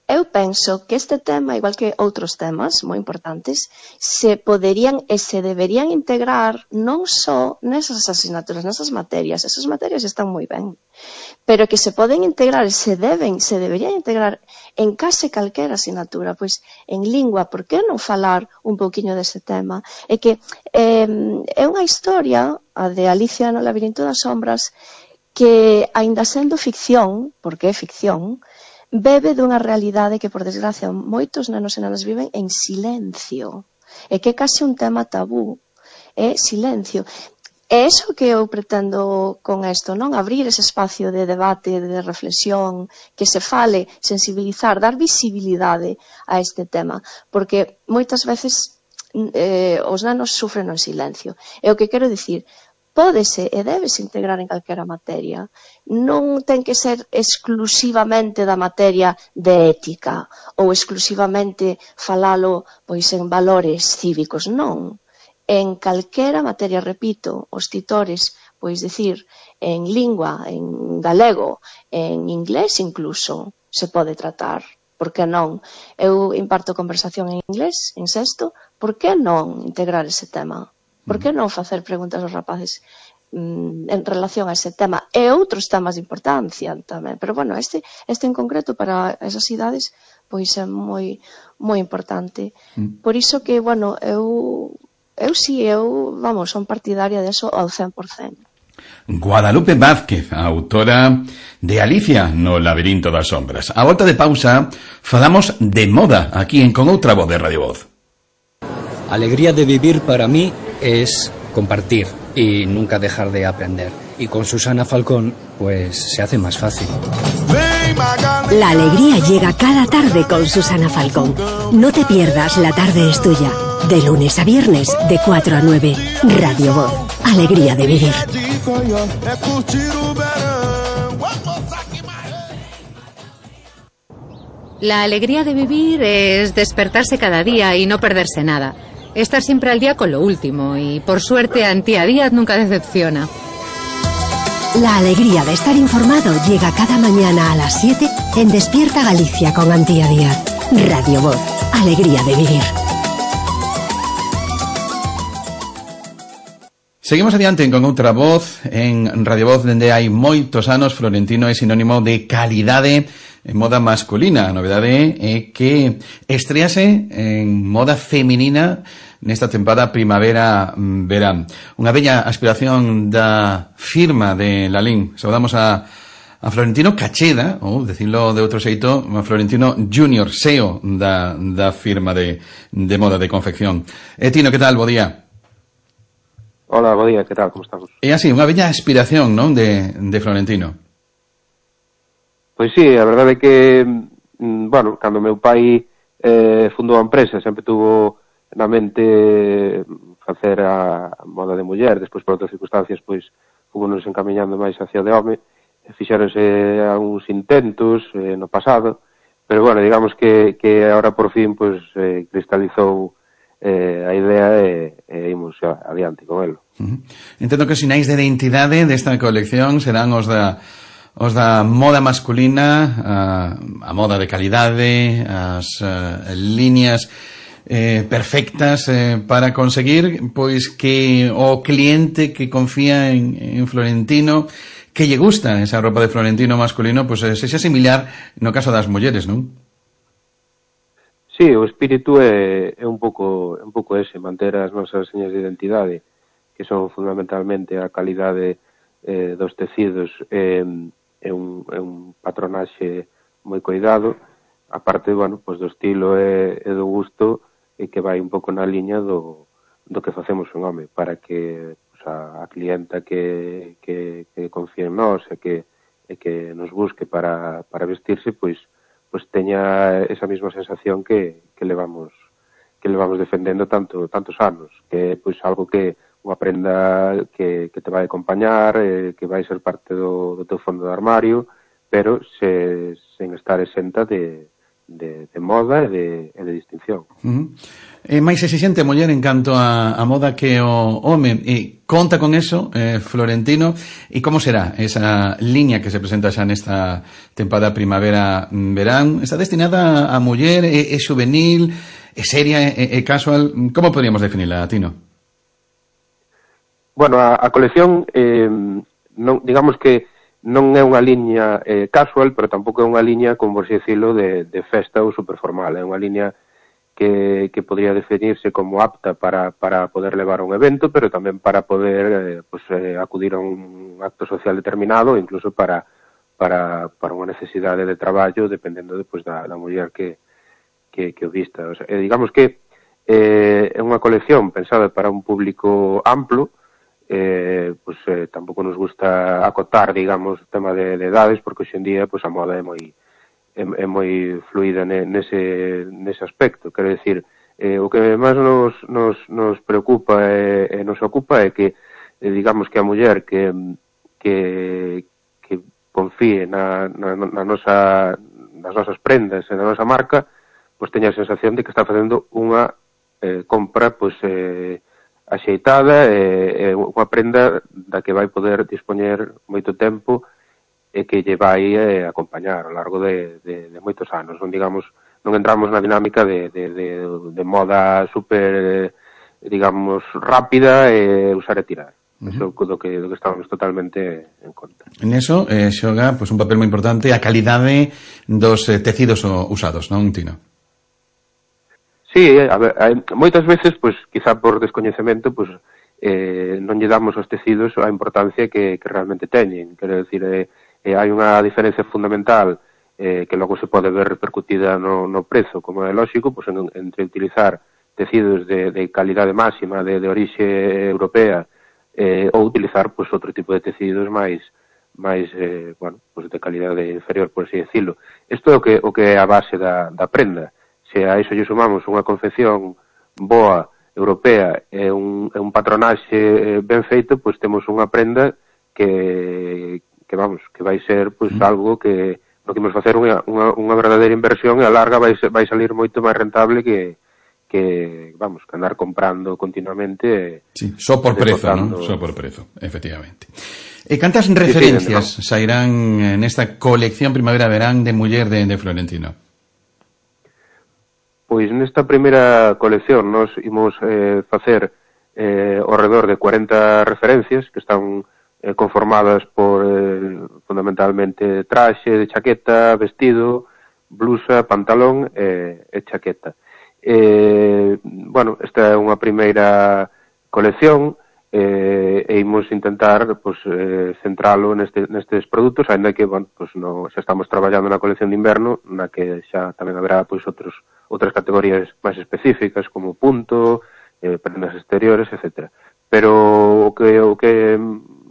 Eu penso que este tema, igual que outros temas moi importantes, se poderían e se deberían integrar non só nesas asignaturas, nesas materias. Esas materias están moi ben, pero que se poden integrar e se deberían integrar en case calquera asignatura, pois en lingua, por que non falar un pouquiño dese tema? É que é unha historia, a de Alicia no labirinto das sombras, que, aínda sendo ficción, porque é ficción, bebe dunha realidade que, por desgracia, moitos nenos e nenas viven en silencio. E que é case un tema tabú. É silencio. É iso que eu pretendo con isto, non? Abrir ese espacio de debate, de reflexión, que se fale, sensibilizar, dar visibilidade a este tema. Porque moitas veces os nenos sufren en silencio. E o que quero dicir, pódese e debese integrar en calquera materia. Non ten que ser exclusivamente da materia de ética ou exclusivamente falalo pois en valores cívicos, non. En calquera materia, repito, os titores, pois dicir, en lingua, en galego, en inglés incluso, se pode tratar. Por que non? Eu imparto conversación en inglés, en sexto, por que non integrar ese tema? Por que non facer preguntas aos rapaces en relación a ese tema e outros temas de importancia tamén, pero bueno, este en concreto para esas idades pois é moi importante. Por iso que, bueno, eu son partidaria deso ao 100%. Guadalupe Vázquez, autora de Alicia no labirinto das sombras. A volta de pausa falamos de moda aquí en Con Outra Voz de Radio Voz. Alegría de vivir para mí es compartir y nunca dejar de aprender. Y con Susana Falcón, pues se hace más fácil. La alegría llega cada tarde con Susana Falcón. No te pierdas La Tarde es Tuya. De lunes a viernes, de 4 a 9. Radio Voz. Alegría de vivir. La alegría de vivir es despertarse cada día y no perderse nada. Estar siempre al día con lo último y, por suerte, Antía Díaz nunca decepciona. La alegría de estar informado llega cada mañana a las 7 en Despierta Galicia con Antía Díaz. Radio Voz. Alegría de vivir. Seguimos adiante con outra voz en Radio Voz, dende hai moitos anos. Florentino é sinónimo de calidade en moda masculina. A novedade é que estrease en moda feminina nesta tempada primavera-verán. Unha bella aspiración da firma de Lalín. Saudamos a Florentino Cacheda, ou decirlo de outro xeito, a Florentino Junior, SEO da firma de moda de confección. Tino, que tal? Bo día. Hola, bo día, que tal? Como estamos? É así, unha bella aspiración, non, de Florentino. Pois sí, a verdade é que, bueno, cando meu pai fundou a empresa, sempre tuvo na mente facer a moda de muller, despois por outras circunstancias, pois, fomos encamiñando máis hacia de home, fixéronse algúns intentos no pasado, pero, bueno, digamos que agora por fin, pois, cristalizou a idea e imos adiante con elo. Entendo que os sinais de identidade desta colección serán os da moda masculina, a moda de calidade, as líneas perfectas para conseguir pois que o cliente que confía en Florentino, que lle gusta esa roupa de Florentino masculino, pois sexa similar no caso das mulleres, non? Sí, o espírito é un pouco ese, manter as nosas señas de identidade, que son fundamentalmente a calidade dos tecidos e un patronaxe moi cuidado, aparte, bueno, pues do estilo e do gusto, e que vai un pouco na liña do que facemos un home, para que pues, a clienta que confíe en nós e que nos busque para vestirse, pois teña esa mesma sensación que levamos defendendo tantos anos, que é pois algo que unha prenda que te vai acompañar, que vai ser parte do teu fondo de armario, pero sen estar exenta de moda e de distinción. É máis exixente a muller en canto a moda que o home, e conta con eso Florentino, e como será esa liña que se presenta xa nesta tempada primavera-verán? Está destinada a muller, é juvenil, é seria, é casual? Como podríamos definirla, Tino? Bueno, a colección non, digamos que non é unha liña casual, pero tampouco é unha liña, como por así decirlo, de festa ou superformal. É unha liña que podría definirse como apta para poder levar a un evento, pero tamén para poder acudir a un acto social determinado, incluso para unha necesidade de traballo, dependendo da muller que o vista. O sea, digamos que é unha colección pensada para un público amplo. Tampouco nos gusta acotar, digamos, o tema de edades, porque hoxe en día a moda é moi fluida nese aspecto. Quero dicir, o que máis nos preocupa e nos ocupa é que, digamos, que a muller que confíe nas nosas prendas e na nosa marca, pois teña a sensación de que está facendo unha compra axeitada, unha prenda da que vai poder dispoñer moito tempo e que lle vai acompañar ao largo de moitos anos. Non entramos na dinámica de moda super, digamos, rápida e usar e tirar. Iso do que estamos totalmente en conta. En eso xoga un papel moi importante a calidade dos tecidos usados, non, Tino? Sí, a ver, moitas veces, quizá por descoñecemento, non lle damos aos tecidos a importancia que realmente teñen. Quero dicir, hai unha diferencia fundamental que logo se pode ver repercutida no prezo, como é lógico, entre utilizar tecidos de calidade máxima, de orixe europea, ou utilizar outro tipo de tecidos máis de calidade inferior, por así decirlo. Isto é o que é a base da prenda. Se a iso lle sumamos unha confección boa, europea, e un patronaxe ben feito, temos unha prenda que vai ser algo que no que imos facer unha verdadeira inversión, e a larga vai salir moito máis rentable que andar comprando continuamente. Sí, só por prezo, non? Só por prezo, efectivamente. E cantas referencias sairán nesta colección primavera-verán de muller de Florentino? Pois nesta primeira colección nos imos facer ao redor de 40 referencias que están conformadas por fundamentalmente traxe de chaqueta, vestido, blusa, pantalón e chaqueta. Esta é unha primeira colección e imos intentar centralo nestes produtos, ainda que xa estamos traballando na colección de inverno, na que xa tamén haberá outras categorías máis específicas como punto, prendas exteriores, etc. Pero o que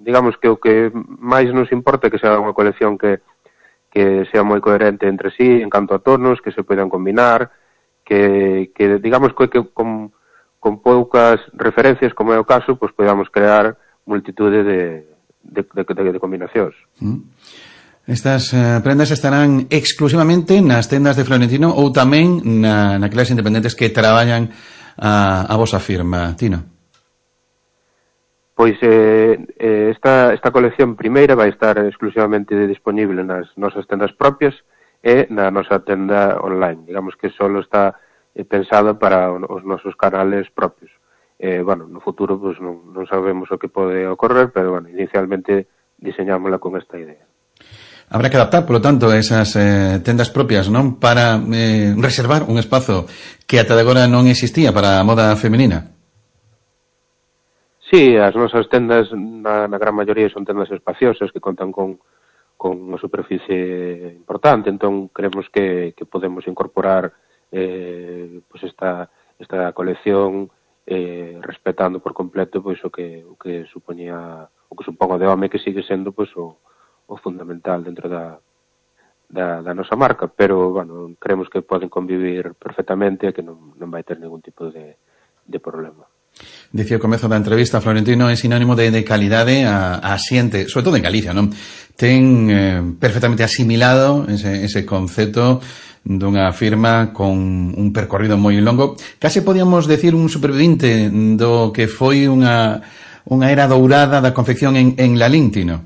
digamos que o que máis nos importa é que sea unha colección que sea moi coherente entre sí en canto a tonos, que se poidan combinar, que digamos que con poucas referencias, como é o caso, podamos crear multitude de combinacións. Estas prendas estarán exclusivamente nas tendas de Florentino ou tamén naquelas independentes que traballan a vosa firma, Tino? Pois esta colección primeira vai estar exclusivamente disponible nas nosas tendas propias e na nosa tenda online. Digamos que só está pensada para os nosos canales propios. No futuro non sabemos o que pode ocorrer, pero inicialmente diseñámola con esta idea. Habrá que adaptar, polo tanto, esas tendas propias, non? Para reservar un espazo que ata de agora non existía para a moda feminina. Sí, as nosas tendas na gran maioría son tendas espaciosas que contan con unha superficie importante, entón creemos que podemos incorporar esta colección respetando por completo o que supoñía o que supón o de home, que sigue sendo o fundamental dentro da nosa marca, pero creemos que poden convivir perfectamente e que non vai ter ningún tipo de problema. Dicía ao comezo da entrevista, Florentino é sinónimo de calidade a xente, sobre todo en Galicia, non? Ten perfectamente asimilado ese concepto dunha firma con un percorrido moi longo. Case podíamos decir un supervivente do que foi unha era dourada da confección en Lalín, Tino.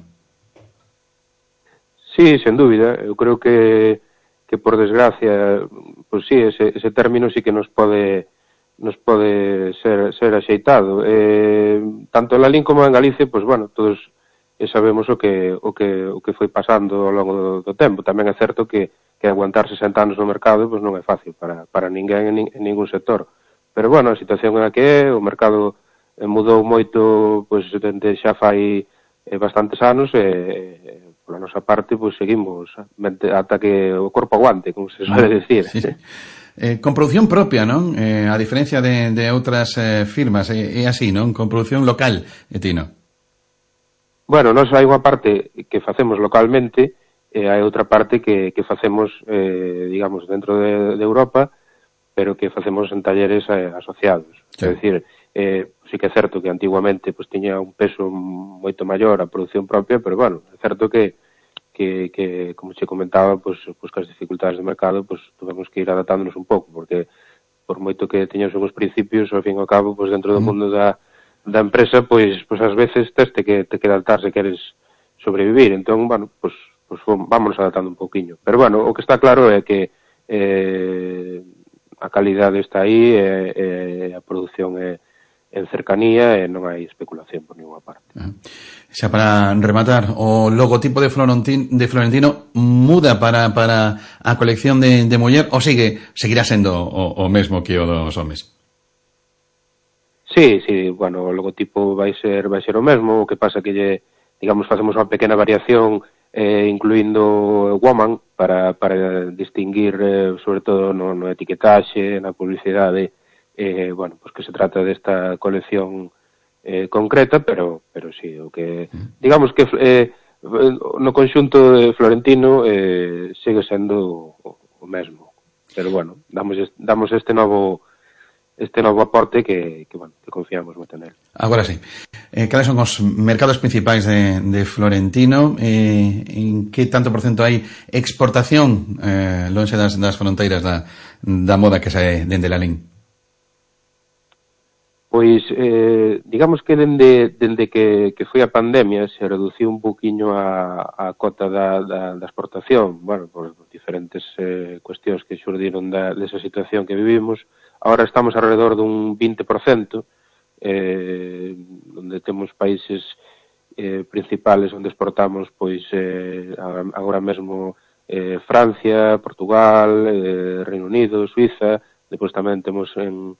Sí, sen dúbida. Eu creo que por desgracia, pues sí, ese término sí que nos pode ser axeitado. Tanto en Lalín como en Galicia, pues bueno, todos sabemos o que foi pasando ao longo do tempo. Tamén é certo que aguantar 60 anos no mercado pues non é fácil para ninguén en ningún sector. Pero bueno, a situación é a que é, o mercado mudou moito pues dende xa fai bastantes anos e pola nosa parte pues seguimos ata que o corpo aguante, como se suele decir. Sí. Con produción propia, non? A diferencia de outras firmas, é así, non? Con produción local, Tino. Bueno, nós hai unha parte que facemos localmente e hai outra parte que facemos, digamos, dentro de Europa, pero que facemos en talleres asociados. Sí. É dicir, sí que é certo que antiguamente pues tiña un peso moito maior a produción propia, pero bueno, é certo que como che comentaba, pues que as dificultades de mercado, pues tuvemos que ir adaptándonos un pouco, porque por moito que teñamos os principios, ao fin e ao cabo, pues dentro do mundo da empresa, pues ás veces te que adaptar se queres sobrevivir. Entón, bueno, pues vámonos adaptando un pouquiño. Pero bueno, o que está claro é que a calidade está aí, a produción é en cercanía e non hai especulación por ninguna parte. Xa para rematar, o logotipo de Florentino muda para a colección de muller ou seguirá sendo o mesmo que o dos homes? Sí, bueno, o logotipo vai ser o mesmo, o que pasa que digamos, facemos unha pequena variación incluindo woman para distinguir sobre todo no etiquetaxe, na publicidade, bueno, pues que se trata desta colección concreta, pero sí, o que digamos que no conxunto de Florentino segue sendo o mesmo, pero bueno, damos este novo aporte que confiamos moito nele. Agora sí. Cales son os mercados principais de Florentino? En que tanto porcento hai exportación lonxe das fronteiras da moda que sae dende Lalín? Pois, digamos que dende que foi a pandemia se reduciu un poquinho a cota da exportación, bueno, por diferentes cuestións que xurdiron desa situación que vivimos. Ahora estamos alrededor dun 20%, onde temos países principales onde exportamos, pois, agora mesmo Francia, Portugal, Reino Unido, Suiza, depois tamén temos un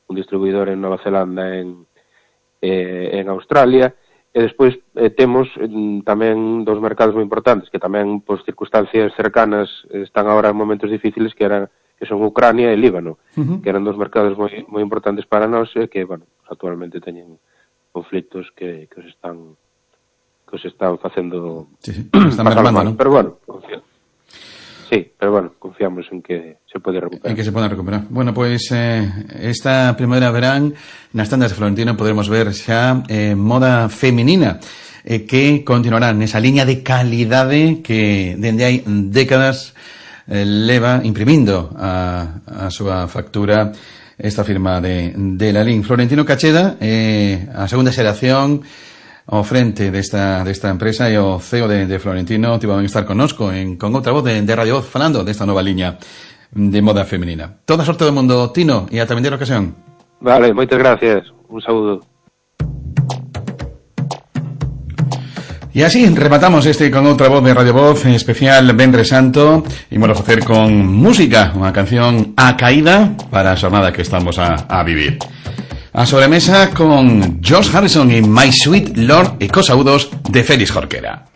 distribuidor en Nova Zelanda, en Australia, e despois temos tamén dos mercados moi importantes que tamén, por circunstancias cercanas, están agora en momentos difíciles, que son Ucrania e Líbano, que eran dos mercados moi importantes para nós e que, bueno, actualmente teñen conflitos que os están facendo están mermando, non? Pero bueno, confiamos en que se pode recuperar. En que se pode recuperar. Bueno, pois esta primavera verán nas tendas de Florentino podremos ver xa moda feminina que continuará nesa liña de calidade que dende hai décadas leva imprimindo a súa factura esta firma de Lalín. Florentino Cacheda, a segunda xeración ao frente desta empresa, e o CEO de Florentino tivo a estar connosco con outra voz de Radio Voz falando desta nova liña de moda feminina. Toda sorte do mundo, Tino, e ata vindeira ocasión. Vale, moitas gracias. Un saúdo. E así rematamos con outra voz de Radio Voz especial Venres Santo, e vamos a facer con música, unha canción a caída para a xornada que estamos a vivir. A sobremesa con George Harrison e My Sweet Lord e cos saúdos de Félix Jorquera.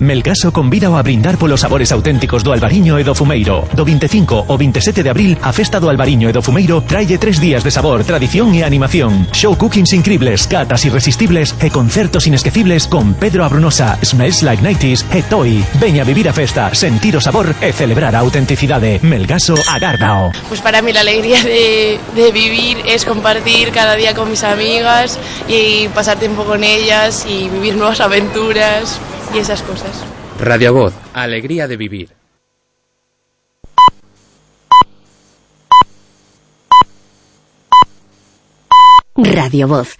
Melgaso convida a brindar polos sabores auténticos do Albariño e do Fumeiro. Do 25 ao 27 de abril, a festa do Albariño e do Fumeiro traille 3 días de sabor, tradición e animación. Show cookings increíbles, catas irresistibles e concertos inesquecibles con Pedro Abrunosa, Smells Like 90s e Toy. Veña a vivir a festa, sentir o sabor e celebrar a autenticidade. Melgaso agárdao. Pues para mí la alegría de vivir es compartir cada día con mis amigas y pasar tiempo con ellas y vivir nuevas aventuras y esas cosas. Radio Voz, alegría de vivir. Radio Voz,